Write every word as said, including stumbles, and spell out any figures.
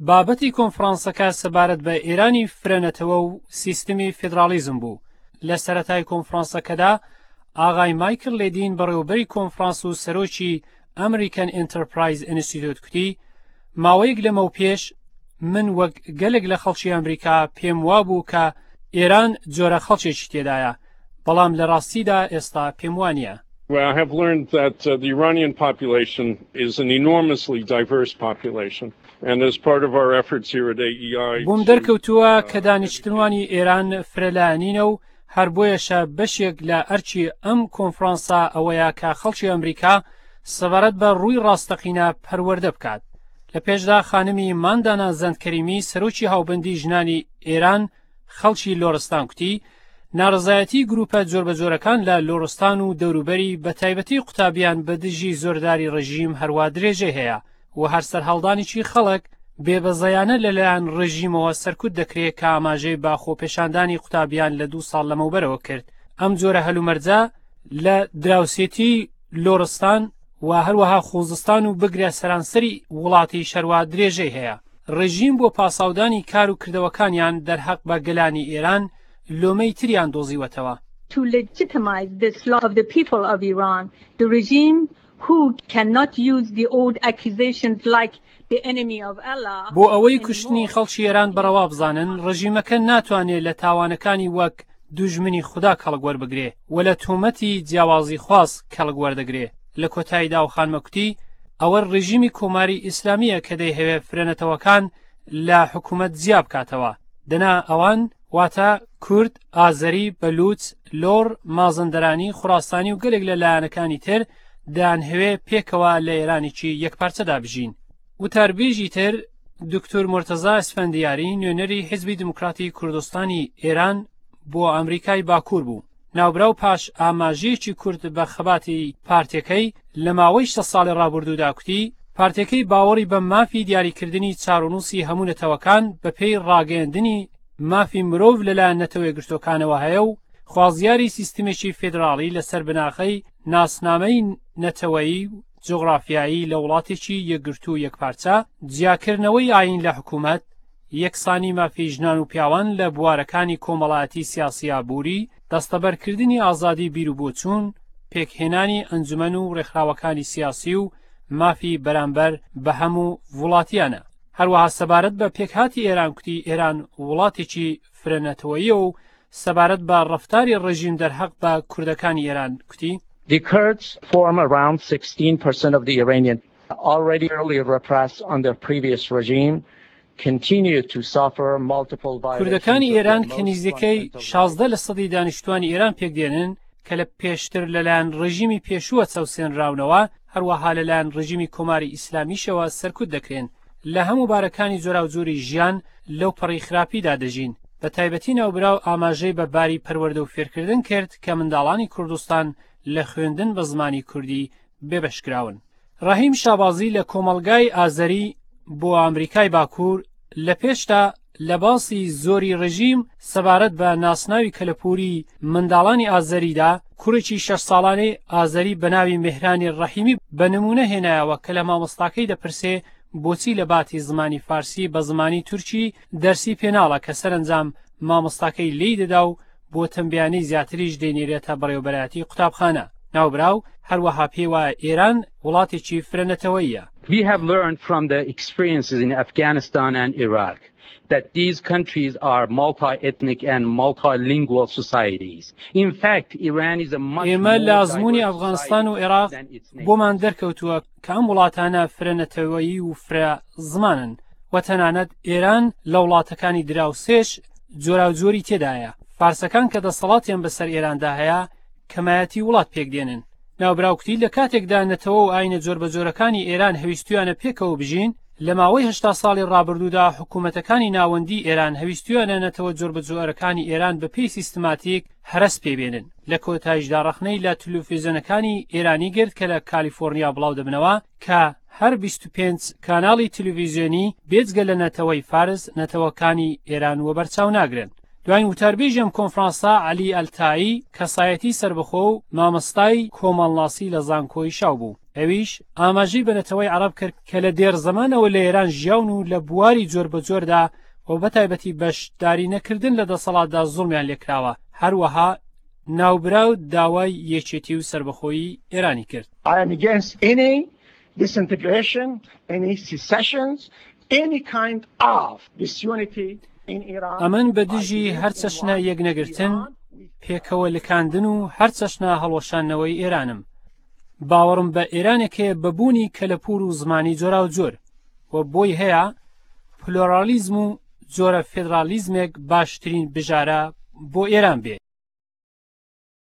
بابەتی کۆنفرانسەکە سەبارەت بە ئێرانی فرەنەتەوە و سیستمی فیدراڵیزم بوو. لە سەرەتای کۆنفرانسەکەدا ئاغای مایکل لێدین، بەڕێوەبەری کۆنفرانس و سەرۆکی American Enterprise Institute، کوتی: ماوەیەک لەمەو پێش من وەک گەلێک لە خەڵکی ئەمریکا پێم وابوو کە ئێران جۆرە خەڵکێکی تێدایە، بەڵام لە ڕاستیدا ئێستا پێم وانییە. Well, I have learned that uh, the Iranian population is an enormously diverse population. And as part of our efforts here at A E I بۆم دەرکەوتووە کە دانیشتوانی ئێران فرەلایەنینە و هەر بۆیەشە بەشێک لە ئەرکی ئەم کۆنفرانسە ئەوەیە کە خەڵکی ئەمریکا سەبارەت بە ڕووی ڕاستەقینە پەروەردە بکات. لە پێشدا خانمی ماندانا زەندکەریمی، سەرۆکی هاوبەندی ژنانی ئێران خەڵکی لۆرستان، کوتی: ناڕزایەتی گروپە جۆربەجۆرەکان لە لۆرستان و دەوروبەری، بە تایبەتی قوتابیان، بە دژی زۆرداری ڕژیم هەروا درێژەی هەیە و هەر سەرهەڵدانێکی خەڵک بێبەزەیانە لەلایەن ڕژیمەوە سەرکوت دەکرێت، کە ئاماژەی بە خۆپێشاندانی قوتابیان لە دوو ساڵ لەمەوبەرەوە کرد. ئەم جۆرە هەلومەرجە لە دراوسێتی لۆرستان و هەروەها خوزستان و بگرە سەرانسەری وڵاتی شەروا درێژەی هەیە. ڕژیم بۆ پاساودانی کار و کردەوەکانیان دەرحەق بە گەلانی ئێران لۆمەی تریان دۆزیوەتەوە. To legitimize the slaughter of the people of Iran, the regime who cannot use the old accusations like the enemy of Allah بۆ ئەوەی کوشتنی خەڵکی ئێران بەڕەوا بزانن، ڕژیمەکە ناتوانێت لە تاوانەکانی وەک دوژمنی خودا کەڵک وەربگرێ و لە تۆمەتی جیاوازی خواز کەڵک وەردەگرێ. لە کۆتاییدا و خانمە کوتی: ئەوە ڕژیمی کۆماری ئیسلامیە کە دەیهەوێ فرەنەتەوەکان لە حکوومەت جیا بکاتەوە، دەنا ئەوان، واتە کورد، ئازەری، بەلوچ، لۆر، مازندەرانی، خوراسانی و گەلێک لە لایەنەکانی تر، دەیانهەوێ پێکەوە لە ئێرانێکی یەکپارچەدا بژین. وتاربێژی تر دکتۆر مرتەزا ئەسفەندیاری، نوێنەری حیزبی دموکراتی کوردستانی ئێران بۆ ئەمریکای باکوور بوو. ناوبراو پاش ئاماژەیەکی کورت بە خەباتی پارتەکەی لە ماوەی شەست ساڵی ڕابردوودا کوتی: پارتەکەی باوەڕی بە مافی دیاریکردنی چارەنووسی هەموو نەتەوەکان بە پێی ڕاگەیەندنی مافی مرۆڤ لەلایەن نەتەوە یەکگرتووەکانەوە هەیە و خوازیاری سیستمێکی فێدراڵی لەسەر بناغەی ناسنامەی نەتەوەیی و جوغرافیایی لە وڵاتێکی یەکگرتوو و یەکپارچە، جیاکردنەوەی ئاین لە حکوومەت، یەکسانی مافی ژنان و پیاوان لە بوارەکانی کۆمەڵایەتی، سیاسی، ئابووری، دەستەبەرکردنی ئازادی بیر و بۆچوون، پێکهێنانی ئەنجومەن و ڕێکخراوەکانی سیاسی و مافی بەرامبەر بە هەموو وڵاتیانە. هەروەها سەبارەت بە پێکهاتی ئێران کوتی: ئێران وڵاتێکی فرەنەتەوەیە و سەبارەت بە ڕەفتاری ڕژیم دەرحەق بە کوردەکانی ئێران کوتی: The Kurds form around sixteen percent of the Iranian already severely repressed under previous regime continue to suffer multiple violations. کوردەکانی ئێران کە نزیکەی شازدە لە سەدی دانیشتوانی ئێران پێکدێنن، کە لە پێشتر لەلایەن ڕژیمی پێشووە چەوسێنراونەوە، هەروەها لەلایەن ڕژیمی کۆماری ئیسلامیشەوە سەرکوت دەکرێن، لە هەموو بارەکانی جۆراوجۆری ژیان لەو پەڕی خراپیدا دەژین. بە تایبەتی ناوبراو ئاماژەی بە باری پەروەردە و فێرکردن کرد کە منداڵانی کوردستان لە خوێندن بە زمانی کوردی بێبەشکراون. ڕەحیم شابازی لە کۆمەڵگای ئازەری بۆ ئەمریکای باکوور لە پێشتا لە باسی زۆری ڕژیم سەبارەت بە ناسناوی کەلەپوری منداڵانی ئازەریدا، کوڕێکی شەش ساڵانەی ئازەری بە ناوی مهرانی ڕەحیمی بە نمونە هێنایەوە کە لە مامۆستاکەی دەپرسێ بۆچی لە باتی زمانی فارسی بە زمانی تورکی دەرسی پێناڵە، کە سەرنجام مامۆستاکەی لێی دەدا و بۆ تەمبیانی زیاتریش دەینێرێتە بەڕێوەبەرایەتی قوتابخانە. ناوبراو هەروەها پێی ئێران وڵاتێکی فرەنەتەوەیە. We have learned from the experiences in Afghanistan and Iraq that these countries are multi-ethnic and multilingual societies. In fact, Iran is a much ئێمە لە ئەزمموی ئەفغانستان و عێراق بۆمان دەرکەوتووە کە ئەم وڵاتانە فرەنەتەوەیی و فرە زمانن و تەنانەت ئێران لە وڵاتەکانی دراوسێش جۆراوجۆری تێدایە. فارسەکان کە دەسەڵاتیان بەسەر ئێراندا هەیە کەمایەتی وڵات پێکدێنن. ناوبراو کوتی لە کاتێکدا نەتەوە و ئاینە جۆربەجۆرەکانی ئێران هەویستویانە پێکەوە بژین، لە ماوەی هەشتا ساڵی ڕابردوودا حکوومەتەکانی ناوەندی ئێران هەویستویانە نەتەوە جۆربەجۆرەکانی ئێران بە پێی سیستماتیک هەرەس پێبێنن. لە کۆتاییشدا ڕەخنەی لە تلویزیۆنەکانی ئێرانی گرت کە لە کالیفۆرنیا بڵاو دەبنەوە، کە هەر بیست و پێنج کاناڵی تلویزیۆنی بێجگە لە نەتەوەی فارس نەتەوەکانی ئێران وەبەرچاو ناگرن. دوایین وتاربێژی ئەم کۆنفرانسە عەلی ئەلتایی، کەسایەتی سربەخۆ و مامۆستای کۆمەڵناسی لە زانکۆی شاو بوو. ئەویش ئاماژەی بە نەتەوەی عەرەب کرد کە لە دێر زەمانەوە لە ئێران ژیاون و لە بواری جۆر بە جۆردا و بەتایبەتی بەشداری نەکردن لە دەسەڵاتدا زوڵمیان لێکراوە. هەروەها ناوبراو داوای یەکێتی و سەربەخۆیی ئێرانی کرد. I am against any disintegration, any secessions, any kind of disunity in Iran. ئەمن بە دژی هەر چەشنە یەکنەگرتن، پێکەوە لکاندن و هەر چەشنە هەڵوەشاندنەوەی ئێرانم. باوەڕم بە ئێرانێک هەیە بە بوونی کەلەپوور و زمانی جۆراوجۆر و بۆی هەیە پلۆرالیزم و جۆرە فێدرالیزمێک باشترین بژارە بۆ ئێران بێ.